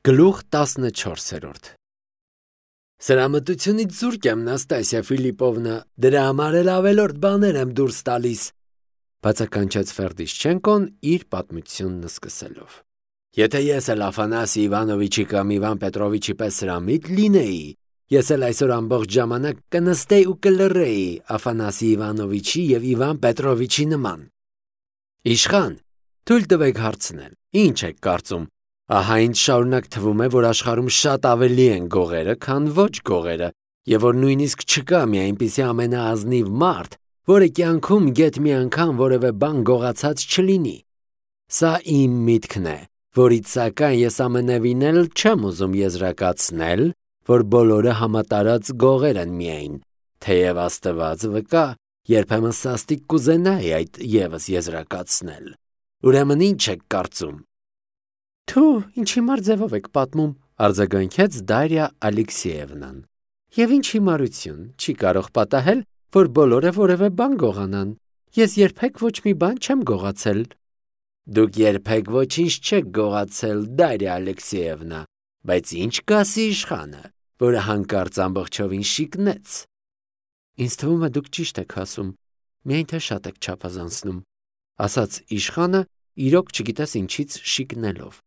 Գլուխ 14 Սրամտությունից զուրկ եմ, Նաստասիա Ֆիլիպովնա, դրա համար էլ ավելորդ բաներ եմ դուրս տալիս, բացականչեց Ֆերդիշչենկոն իր պատմությունն սկսելով։ Եթե ես էլ Աֆանասի Իվանովիչի կամ Իվան Պետրովիչի պես սրամիտ լինեի, ես էլ այսօր ամբողջ ժամանակ կնստեի ու կլռեի Աֆանասի Իվանովիչի և Իվան Պետրովիչի նման։ Իշխան, թույլ տվեք հարցնել, ինչ եք կարծում, ահա ինձ շարունակ թվում է, որ աշխարհում շատ ավելի են գողերը, քան ոչ գողերը, և որ նույնիսկ չկա մի այնպիսի ամենաազնիվ մարդ, որը կյանքում գեթ մի անգամ որևէ բան գողացած չլինի։ Սա իմ միտքն է, որից սակայն ես ամենևին էլ չեմ ուզում եզրակացնել, որ բոլորը համատարած գողեր են միայն, թեև Աստված վկա, երբեմն սաստիկ կուզենայի այդ ևս եզրակացնել։ Ուրեմն ինչ եք կարծում։ Թու, ինչ հիմար ձևով եք պատմում, արձագանքեց Դարիա Ալեքսեևնան։ Եվ ինչ հիմարություն, չի կարող պատահել, որ բոլորը որևէ բան գողանան։ Ես երբեք ոչ մի բան չեմ գողացել։ Դուք երբեք ոչինչ չեք գողացել, Դարիա Ալեքսեևնա, բայց ինչ կասի իշխանը, որը հանկարծ ամբողջովին շիկնեց։ Ինձ թվում է դուք ճիշտ եք ասում, միայն թե շատ եք չափազանցնում, ասաց իշխանը, իրոք չգիտես ինչից շիկնելով։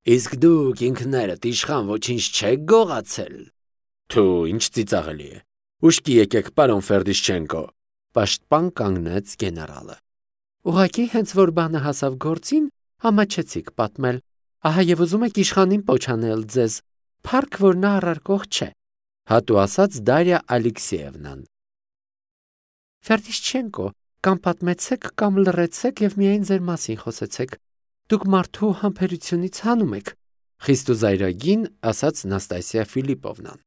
Իսկ դուք ինքներդ իշխան ոչինչ չեք գողացել։ Թու, ինչ ծիծաղելի է։ Ուշքի եկեք, պարոն Ֆերդիշչենկո, պաշտպան կանգնեց գեներալը։ Ուղղակի հենց որ բանը հասավ գործին, ամաչեցիք պատմել, ահա եւ ուզում եք իշխանին պոչանել ձեզ, փառք որ նա առարկող չէ, հատու ասաց Դարիա Ալեքսեևնան։ Ֆերդիշչենկո, կամ պատմեցեք, կամ լռեցեք եւ միայն ձեր մասին խոսեցեք։ Դուք մարդու համբերությունից հանում եք, խիստ ու զայրագին ասաց Նաստասիա Ֆիլիպովնան։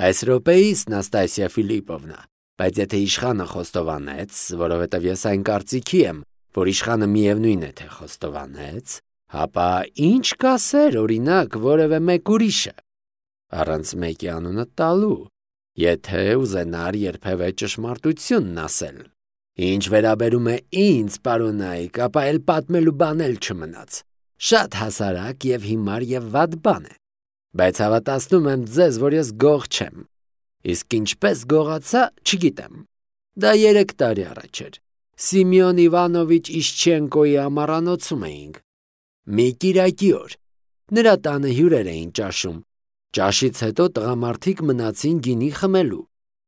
Այս րոպեիս, Նաստասիա Ֆիլիպովնա, բայց եթե իշխանը խոստովանեց, որովհետև ես այն կարծիքի եմ, որ իշխանը միևնույն է թե խոստովանեց, հապա ինչ կասեր, օրինակ, որևէ մեկ ուրիշը, առանց մեկի անունը տալու, եթե ուզենար երբևէ ճշմարտությունն ասել։ Ինչ վերաբերում է ինձ, պարոնայք, ապա էլ պատմելու բան էլ չմնաց։ Շատ հասարակ եւ հիմար եւ վատ բան է։ Բայց հավատացնում եմ ձեզ, որ ես գող չեմ։ Իսկ ինչպես գողացա, չգիտեմ։ Դա 3 տարի առաջ էր։ Սիմեոն Իվանովիչ Իշչենկոյի ամառանոցում էինք։ Մի կիրակի օր։ Նրա տանը հյուրեր էին ճաշում։ Ճաշից հետո տղամարդիկ մնացին գինի խմելու։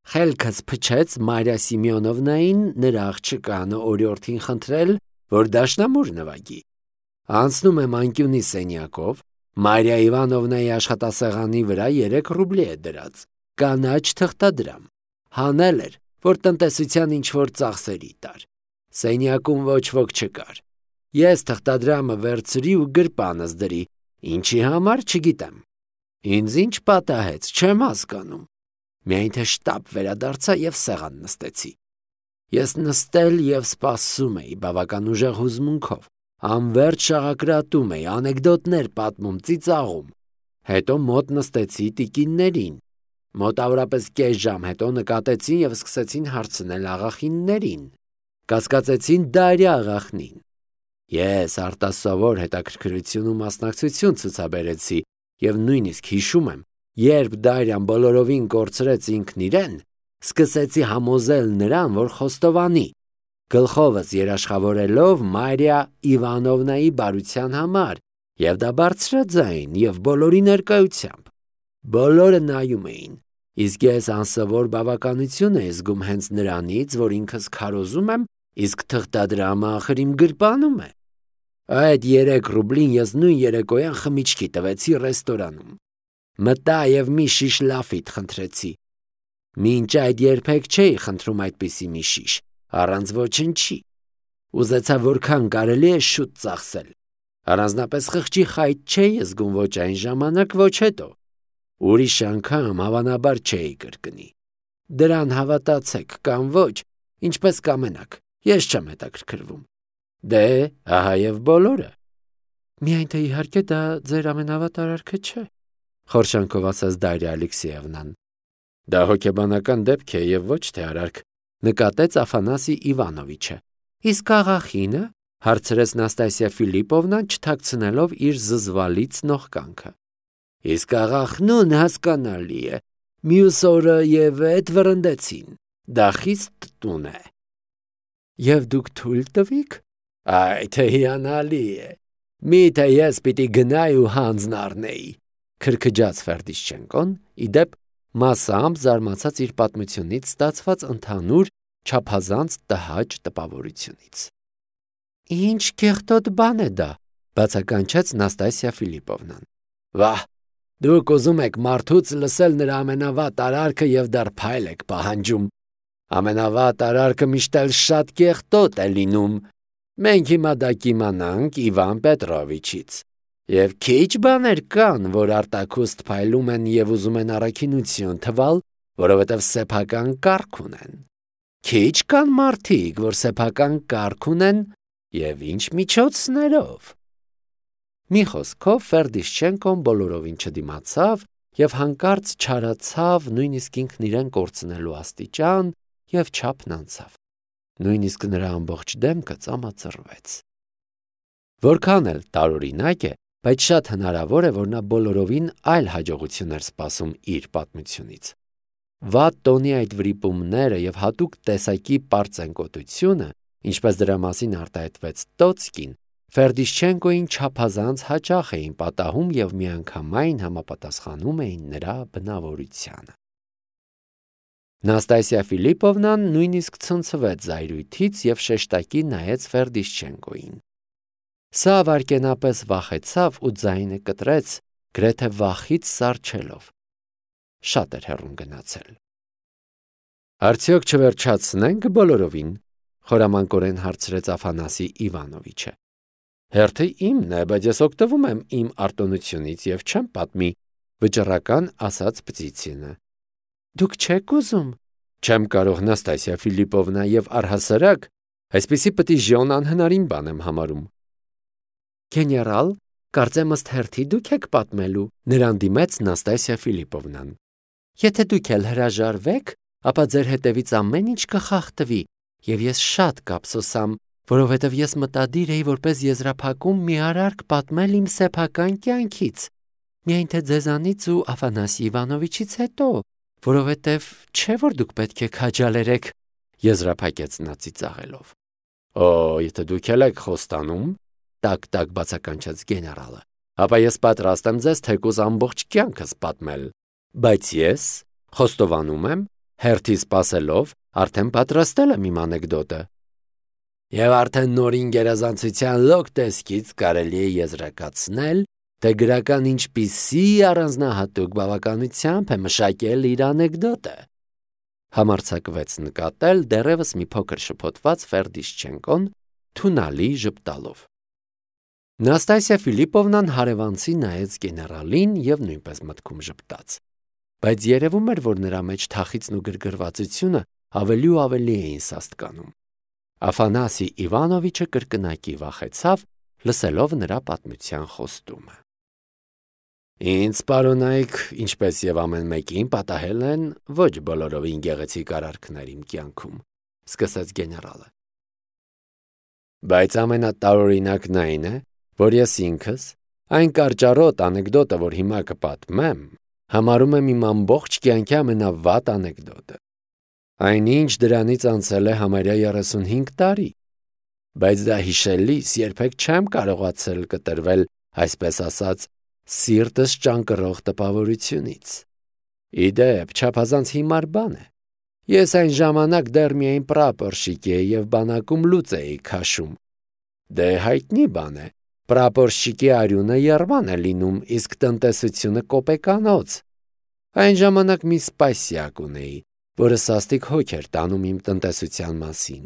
Խելքս փչեց Մարիա Սիմեոնովնային նրա աղջկանը օրիորդին խնդրել, որ դաշնամուր նվագի։ Անցնում եմ անկյունի սենյակով, Մարիա Իվանովնայի աշխատասեղանի վրա 3 ռուբլի է դրած, կանաչ թղթադրամ։ Հանել էր, որ տնտեսության ինչ-որ ծախսերի տար։ Սենյակում ոչ ոք չկար։ Ես թղթադրամը վերցրի ու գրպանս դրի, ինչի համար չգիտեմ։ Ինձ ինչ պատահեց, չեմ հասկանում։ Միայն թե շտապ վերադարձա եւ սեղան նստեցի։ Ես նստել եւ սպասում էի բավական ուժեղ հուզմունքով, անվերջ շաղակրատում էի, անեկդոտներ պատմում, ծիծաղում։ Հետո մոտ նստեցի տիկիններին։ Մոտավորապես կես ժամ հետո նկատեցին եւ սկսեցին հարցնել աղախիններին։ Կասկածեցին Դարիա աղախնին։ Ես արտասովոր հետաքրքրություն ու մասնակցություն ցուցաբերեցի եւ նույնիսկ հիշում եմ, երբ Դարիան բոլորովին կորցրեց ինքն իրեն, սկսեցի համոզել նրան, որ խոստովանի, գլխովս երաշխավորելով Մարիա Իվանովնայի բարության համար, եւ դա բարձրաձայն եւ բոլորի ներկայությամբ։ Բոլորը նայում էին, իսկ ես անսովոր բավականություն էի զգում հենց նրանից, որ ինքս քարոզում եմ, իսկ թղթադրամը ախր իմ գրպանում է։ Այդ 3 ռուբլին ես նույն երեկոյան խմիչքի տվեցի ռեստորանում։ Մտա եւ մի շիշ լաֆիտ խնդրեցի։ Մինչ այդ երբեք չէի խնդրում այդպիսի մի շիշ, առանց ոչնչի։ Ուզեցա որքան կարելի է շուտ ծախսել։ Առանձնապես խղճի խայտ չէի զգում ոչ այն ժամանակ, ոչ հետո։ Ուրիշ անգամ հավանաբար չէի կրկնի։ Դրան հավատացեք կամ ոչ, ինչպես կամենաք, ես չեմ հետաքրքրվում։ Դե, ահա եւ բոլորը։ Միայն թե իհարկե դա ձեր ամենավատարարքը չէ, խորշանքով ասաց Դարիա Ալեքսեևնան։ Դա հոգեբանական դեպք է եւ ոչ թե արարք, նկատեց Աֆանասի Իվանովիչը։ Իսկ աղախինը, Հարցրեց Նաստասիա Ֆիլիպովնան, չթաքցնելով իր զզվալից նողկանքը։ Իսկ աղա Խնուն հասկանալի է, մյուս օրը եւ էդ վրընդեցին, դա խիստ տուն է։ Եվ դուք թույլ տվիք։ Այ թե հիանալի է, միթե ես պիտի գնայի ու հանձն առնեի, քրքջաց Ֆերդիշչենկոն, իդեպ մասամբ զարմացած իր պատմությունից ստացված ընդհանուր չափազանց տհաճ տպավորությունից։ Ինչ կեղտոտ բան է դա, բացականչեց Նաստասիա Ֆիլիպովնան։ Վահ, դուք ուզում եք մարդուց լսել նրա ամենավատ արարքը եւ դեռ փայլ եք պահանջում։ Ամենավատ արարքը միշտ էլ շատ կեղտոտ է լինում։ Մենք հիմա դա կիմանանք Իվան Պետրովիչից։ Եվ քիչ բաներ կան, որ արտաքուստ փայլում են եւ ուզում են առաքինություն թվալ, որովհետեւ սեփական կարգ ունեն։ Քիչ կան մարդիկ, որ սեփական կարգ ունեն եւ ինչ միջոցներով։ Մի խոսքով Ֆերդիշչենկոն բոլորովին չդիմացավ եւ հանկարծ չարացավ նույնիսկ ինքն իրեն կորցնելու աստիճան եւ չափն անցավ։ Նույնիսկ նրա ամբողջ դեմքը ծամածռվեց։ Որքան էլ տարօրինակ է, բայց շատ հնարավոր է, որ նա բոլորովին այլ հաջողություն էր սպասում իր պատմությունից։ Վատ տոնի այդ վրիպումները եւ հատուկ տեսակի պարծենկոտությունը, ինչպես դրա մասին արտահայտվեց Տոցկին, Ֆերդիշչենկոին չափազանց հաճախ էին պատահում եւ միանգամայն համապատասխանում էին նրա բնավորությանը։ Նաստասիա Ֆիլիպովնան նույնիսկ ցնցվեց զայրույթից եւ շեշտակի նայեց Ֆերդիշչենկոին։ Սա վարկենապես վախեցավ ու ձայնը կտրեց, գրեթե վախից սառչելով։ Շատ էր հեռուն գնացել։ Արդյոք չվերջացնենք բոլորովին, խորամանկորեն հարցրեց Աֆանասի Իվանովիչը։ Հերթը իմն է, բայց ես օգտվում եմ իմ արտոնությունից եւ չեմ պատմի, վճռական ասաց Պտիցինը։ Դուք չեք ուզում։ Չեմ կարող, Նաստասիա Ֆիլիպովնա, եւ առհասարակ այսպիսի պտիժոն անհնարին բան եմ համարում։ Գեներալ, կարծեմ ըստ հերթի դուք եք պատմելու, նրան դիմեց Նաստասիա Ֆիլիպովնան։ Եթե դուք էլ հրաժարվեք, ապա ձեր հետևից ամեն ինչ կխախտվի, եւ ես շատ կափսոսամ, որովհետև ես մտադիր էի որպես եզրափակում մի արարք պատմել իմ սեփական կյանքից, միայն թե ձեզանից ու Աֆանասի Իվանովիչից հետո, որովհետև չէ որ դուք պետք է քաջալերեք, եզրափակեց նա ծիծաղելով։ Օ, եթե դուք եք խոստանում, տակ բացականչեց գեներալը, ապա ես պատրաստ եմ ձեզ թեկուզ ամբողջ կյանքս պատմել, բայց ես խոստովանում եմ, հերթի սպասելով, արդեն պատրաստել եմ իմ անեկդոտը։ Եվ արդեն նորին գերազանցության լոկ տեսքից կարելի է եզրակացնել, թե գրական ինչպիսի առանձնահատուկ բավականությամբ է մշակել իր անեկդոտը։ Համարձակվեց նկատել դեռևս մի փոքր շփոթված Ֆերդիշչենկոն, թունալի ժպտալով։ Նաստասիա Ֆիլիպովնան հարևանցի նայեց գեներալին եւ նույնպես մտքում ժպտաց։ Բայց երևում էր, որ նրա մեջ թախիծն ու գրգռվածությունը ավելի ու ավելի էին սաստկանում։ Աֆանասի Իվանովիչը կրկնակի վախեցավ, լսելով նրա պատմության խոստումը։ Ինձ պարոնայք, ինչպես եւ ամեն մեկին պատահել են ոչ բոլորովին գեղեցիկ արարքներ իմ կյանքում, սկսեց գեներալը։ Բայց ամենատարօրինակն այն է, որ ես ինքս այն կարճառոտ անեկդոտը, որ հիմա կպատմեմ, համարում եմ իմ ամբողջ կյանքի ամենավատ անեկդոտը։ Այնինչ դրանից անցել է համարյա 35 տարի, բայց դա հիշելիս երբեք չեմ կարողացել կտրվել, այսպես ասած, սիրտս ճանկռող տպավորությունից։ Իդեպ, չափազանց հիմար բան է։ Ես այն ժամանակ դեռ միայն պրապորշիկ էի եւ բանակում լուծ էի քաշում։ Դե հայտնի բան է, պրապորշիկի արյունը եռման է լինում, իսկ տնտեսությունը կոպեկանոց։ Այն ժամանակ մի սպասյակ ունեի, որը սաստիկ հոգ էր տանում իմ տնտեսության մասին,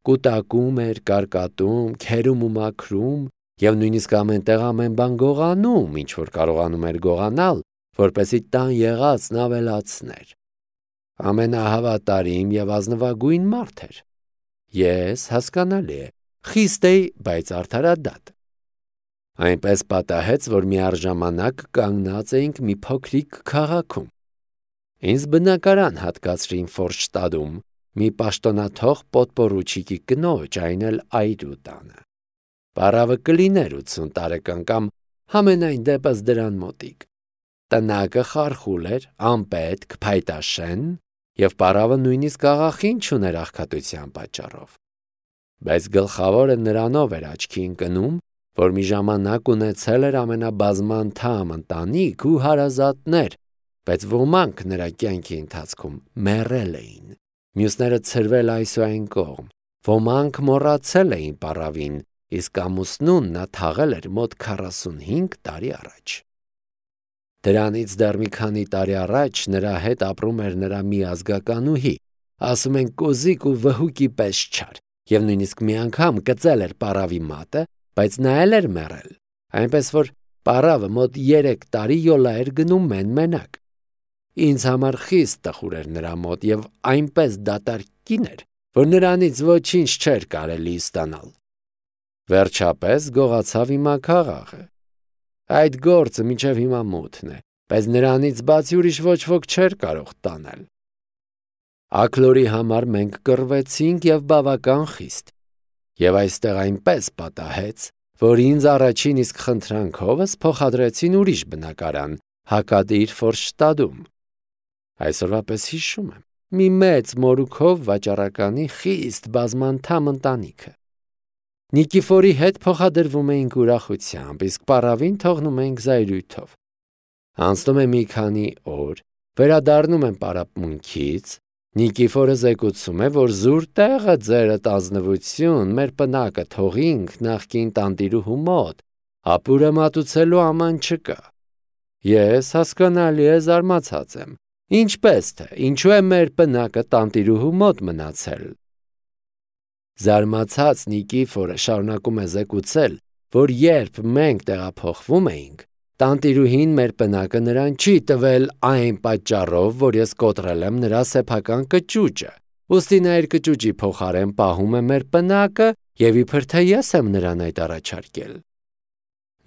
կուտակում էր, կարկատում, քերում ու մաքրում եւ նույնիսկ ամենտեղ ամեն բան գողանում, ինչ որ կարողանում էր գողանալ, որպեսզի տան եղածն ավելացներ։ Ամենահավատարիմ եւ ազնվագույն մարդ էր։ Ես, հասկանալի է, խիստ էի, բայց արդարադատ։ Այնպես պատահեց, որ միառժամանակ կանգնած էինք մի փոքրիկ քաղաքում։ Ինձ բնակարան հատկացրին Ֆորշտադում, մի պաշտոնաթող պոդպորուչիկի կնոջ, այն էլ այրու տանը։ Պարավը կլիներ 80 տարեկան կամ համենայն դեպս դրան մոտիկ։ Տնակը խարխուլ էր, անպետք, փայտաշեն, եւ պարավը նույնիսկ աղախին չուներ աղքատության պատճառով։ Բայց գլխավորը նրանով էր աչքի ընկնում, որ մի ժամանակ ունեցել էր ամենաբազմանդամ ընտանիք ու հարազատներ, բայց ոմանք նրա կյանքի ընթացքում մեռել էին, մյուսները ցրվել այս ու այն կողմ, ոմանք մոռացել էին պարավին, իսկ ամուսնուն նա թաղել էր մոտ 45 տարի առաջ։ Դրանից դեռ մի քանի տարի առաջ նրա հետ ապրում էր նրա մի ազգականուհի, ասում են կոզիկ ու վհուկի պես չար, եւ նույնիսկ մի անգամ կծել էր պարավի մատը, բայց նա էլ էր մեռել, այնպես որ պարավը մոտ 3 տարի յոլա էր գնում մենակ։ Ինձ համար խիստ տխուր էր նրա մոտ եւ այնպես դատարկ կին էր, որ նրանից ոչինչ չէր կարելի ստանալ։ Վերջապես գողացավ իմ քաղաքը։ Այդ գործը մինչև հիմա մութն է, բայց նրանից բացի ուրիշ ոչ ոք չէր կարող տանել։ Աքլորի համար մենք կռվեցինք եւ բավական խիստ, եւ այստեղ այնպես պատահեց, որ ինձ առաջին իսկ խնդրանքովս փոխադրեցին ուրիշ բնակարան, հակադիր Ֆորշտադում։ Այսօրվա պես հիշում եմ, մի մեծ մորուքով վաճառականի խիստ բազմանդամ ընտանիքը։ Նիկիֆորի հետ փոխադրվում էինք ուրախությամբ, իսկ պարավին թողնում էինք զայրույթով։ Անցնում է մի քանի օր, վերադառնում եմ պարապմունքից, Նիկիֆորը զեկուցում է, որ զուր տեղը ձերդ ազնվություն, մեր պնակը թողինք նախկին տանտիրուհու մոտ, ապուրը մատուցելու աման չկա։ Ես հասկանալի է զարմացած եմ, ինչպես թե, ինչու է մեր պնակը տանտիրուհու մոտ մնացել։ Զարմացած Նիկիֆորը շարունակում է զեկուցել, որ երբ մենք տեղափոխվում էինք, տանտիրուհին մեր պնակը նրան չի տվել այն պատճառով, որ ես կոտրել եմ նրա սեփական կճուճը, ուստի նա իր կճուճի փոխարեն պահում է մեր պնակը եւ իբր թե ես եմ նրան այդ առաջարկել։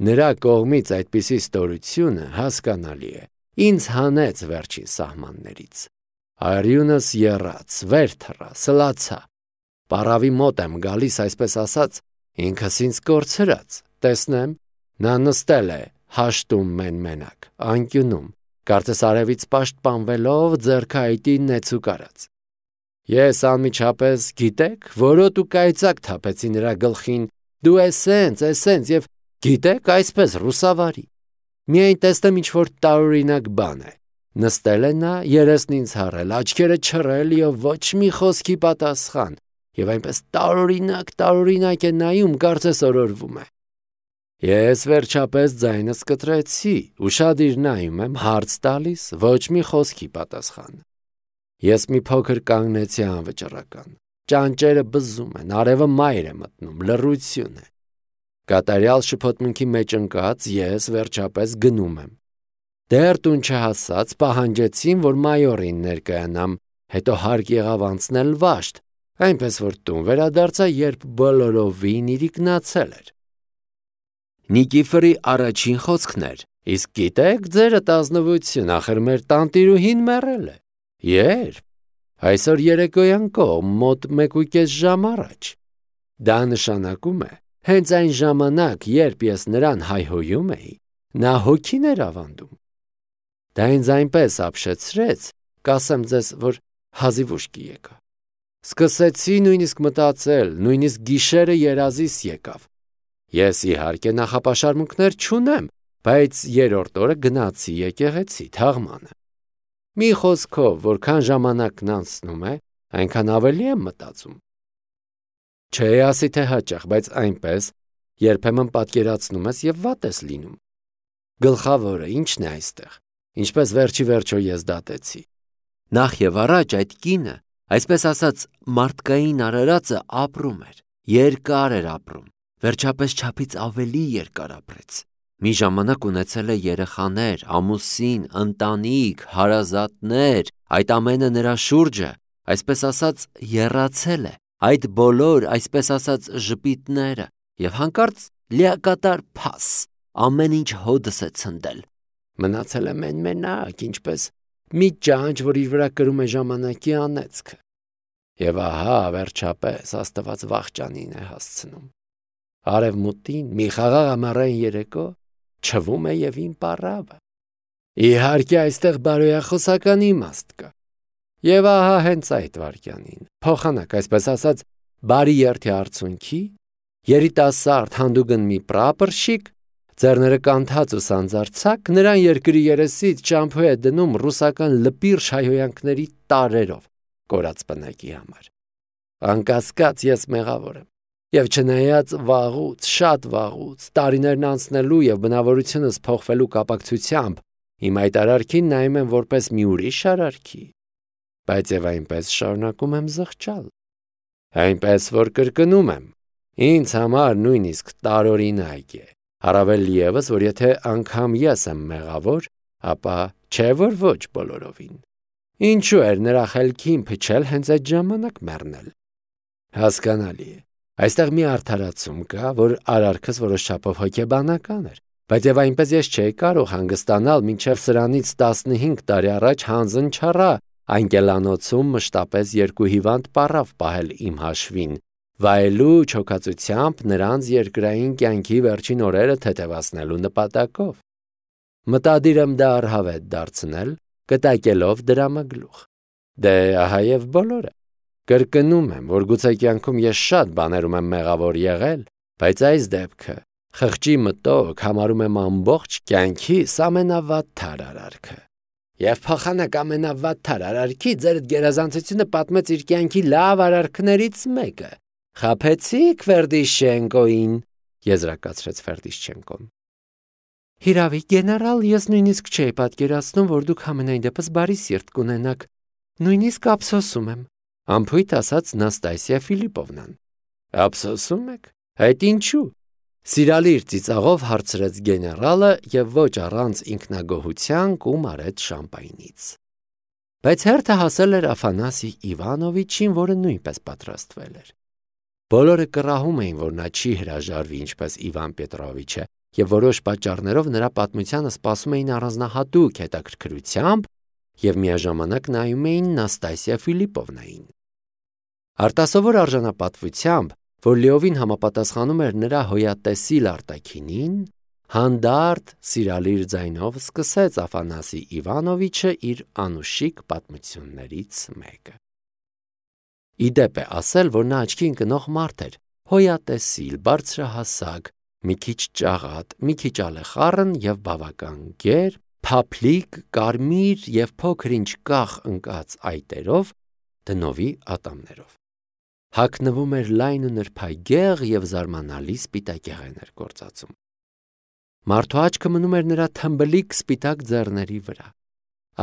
Նրա կողմից այդպիսի ստորությունը հասկանալի է, ինձ հանեց վերջին սահմաններից։ Արյունս եռաց, վեր թռա, սլացա։ Պարավի մոտ եմ գալիս, այսպես ասած, ինքս ինձ կորցրած, տեսնեմ, նա նստել է հաշտում մենակ, անկյունում, կարծես արևից պաշտպանվելով ձեռքը այտին նեցուկ արած։ Ես անմիջապես, գիտեք, որոտ ու կայծակ թափեցի նրա գլխին, դու էսենց եւ գիտեք, այսպես ռուսավարի։ Միայն տեսնեմ ինչ-որ տարօրինակ բան է։ Նստել է նա, երեսն ինձ հառել, աչքերը չռել եւ ոչ մի խոսքի պատասխան, եւ այնպես տարօրինակ է նայում, կարծես օրորվում է։ Ես վերջապես ձայնս կտրեցի, ուշադիր նայում եմ, հարց տալիս, ոչ մի խոսքի պատասխան։ Ես մի փոքր կանգնեցի անվճռական, ճանճերը բզում են, արևը մայր է մտնում, լռություն է։ Կատարյալ շփոթմունքի մեջ ընկած ես վերջապես գնում եմ։ Դեռ տուն չհասած պահանջեցին, որ մայորին ներկայանամ, հետո հարկ եղավ անցնել վաշտ, այնպես որ տուն վերադարձա, երբ բոլորովին իրիկնացել էր։ Նիկիֆորի առաջին խոսքն էր. իսկ գիտեք, ձերդ ազնվություն, ախր մեր տանտիրուհին մեռել է։ Երբ։ Այսօր երեկոյան կողմ, մոտ 1.5 ժամ առաջ։ Դա նշանակում է, հենց այն ժամանակ, երբ ես նրան հայհոյում էի, նա հոգին էր ավանդում։ Դա ինձ այնպես ապշեցրեց, կասեմ ձեզ, որ հազիվ ուշքի եկա։ Սկսեցի նույնիսկ մտածել, նույնիսկ գիշերը երազիս եկավ։ Ես իհարկե նախապաշարմունքներ չունեմ, բայց երրորդ օրը գնացի եկեղեցի թաղմանը։ Մի խոսքով, որքան ժամանակն անցնում է, այնքան ավելի եմ մտածում։ Չէ, ասի թե հաճախ, բայց այնպես երբեմն պատկերացնում ես եւ վատ ես լինում։ Գլխավորը ի՞նչն է այստեղ, ինչպես վերջի վերջո ես դատեցի։ Նախ եւ առաջ այդ կինը, այսպես ասած, մարդկային արարածը ապրում էր, երկար էր ապրում, վերջապես չափից ավելի երկար ապրեց։ Մի ժամանակ ունեցել է երեխաներ, ամուսին, ընտանիք, հարազատներ, այդ ամենը նրա շուրջը, այսպես ասած, եռացել է, այդ բոլոր, այսպես ասած, ժպիտները, եւ հանկարծ լիակատար փաս, ամեն ինչ հոդս է ցնդել։ Մնացել է մենակ, ինչպես մի ճանճ, որ իր վրա կրում է ժամանակի անեծքը։ Եվ ահա, վերջապես, Աստված վախճանին է հասցնում։ Արևմուտքին մի խաղաղ ամառային երեկո չվում է եւ իմ պառավը։ Իհարկե այստեղ բարոյախոսական իմաստ կա։ Եվ ահա հենց այդ վարքյանին, փոխանակ այսպես ասած, բարի երթի արցունքի, երիտասարդ հանդուգն մի պրապորշիկ, ձեռները կանթած ու սանձարձակ, նրան երկրի երեսից ճամփու է դնում ռուսական լպիրշ հայհոյանքների տարերով կորած բնակի համար։ Անկասկած ես մեղավոր եմ։ Եվ չնայած վաղուց, շատ վաղուց, տարիներն անցնելու եւ բնավորությունս փոխվելու կապակցությամբ իմ այդ արարքին նայում եմ որպես մի ուրիշ արարքի, բայց եւ այնպես շարունակում եմ զղջալ։ Այնպես որ կրկնում եմ, ինձ համար նույնիսկ տարօրինակ է, առավել ևս, որ եթե անգամ ես եմ մեղավոր, ապա չէ որ ոչ բոլորովին։ Ինչու էր նրա խելքին փչել հենց այդ ժամանակ մեռնել։ Հասկանալի է։ Այստեղ մի արդարացում կա, որ արարքս որոշ չափով հոգեբանական էր, բայց եւ այնպես ես չէի կարող հանգստանալ մինչեւ սրանից 15 տարի առաջ հանձն չառա անկելանոցում մշտապես 2 հիվանդ պառավ պահել իմ հաշվին, վայելու չոքածությամբ նրանց երկրային կյանքի վերջին օրերը թեթևացնելու նպատակով։ Մտադիր եմ դա առհավետ դարձնել, կտակելով դրամագլուխ։ Դե ահա եւ բոլորը։ Կրկնում եմ, որ գուցե կյանքում ես շատ բաներում եմ մեղավոր եղել, բայց այս դեպքը խղճի մտոք համարում եմ ամբողջ կյանքիս ամենավատթար արարքը։ Եվ փոխանակ ամենավատթար արարքի ձեր գերազանցությունը պատմեց իր կյանքի լավ արարքներից մեկը։ Խաբեցիք Ֆերդիշչենկոին, եզրակացրեց Ֆերդիշչենկոն։ Հիրավի, գեներալ, ես նույնիսկ չէի պատկերացնում, որ դուք ամենայն դեպս բարի սիրտ կունենաք, նույնիսկ ափսոսում եմ, ամփույթ ասաց Նաստասիա Ֆիլիպովնան։ Ափսոսում եք։ Այդ ինչու։ Սիրալիր ծիծաղով հարցրեց գեներալը եւ ոչ առանց ինքնագոհության կում արեց շամպայնից։ Բայց հերթը հասել էր Աֆանասի Իվանովիչին, որը նույնպես պատրաստվել էր։ Բոլորը կռահում էին, որ նա չի հրաժարվի ինչպես Իվան Պետրովիչը, եւ որոշ պատճառներով նրա պատմությանը սպասում էին առանձնահատուկ հետաքրքրությամբ եւ միաժամանակ նայում էին Նաստասիա Ֆիլիպովնային։ Արտասովոր արժանապատվությամբ, որ լիովին համապատասխանում էր նրա հոյատեսիլ արտաքինին, հանդարտ սիրալիր ձայնով սկսեց Աֆանասի Իվանովիչը իր անուշիկ պատմություններից մեկը։ Իդեպ է ասել, որ նա աչքի ընկնող մարդ էր, հոյատեսիլ, բարձրահասակ, մի քիչ ճաղատ, մի քիչ ալեխառն եւ բավական գեր, փափլիկ, կարմիր եւ փոքր-ինչ կախ ընկած այտերով, դնովի ատամներով։ Հագնվում էր լայն ու նրբագեղ եւ զարմանալի սպիտակեղեն էր գործածում։ Մարդու աչքը մնում էր նրա թմբլիկ սպիտակ ձեռների վրա։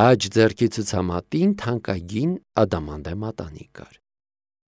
Աջ ձեռքի ցուցամատին թանկագին ադամանդե մատանի կար։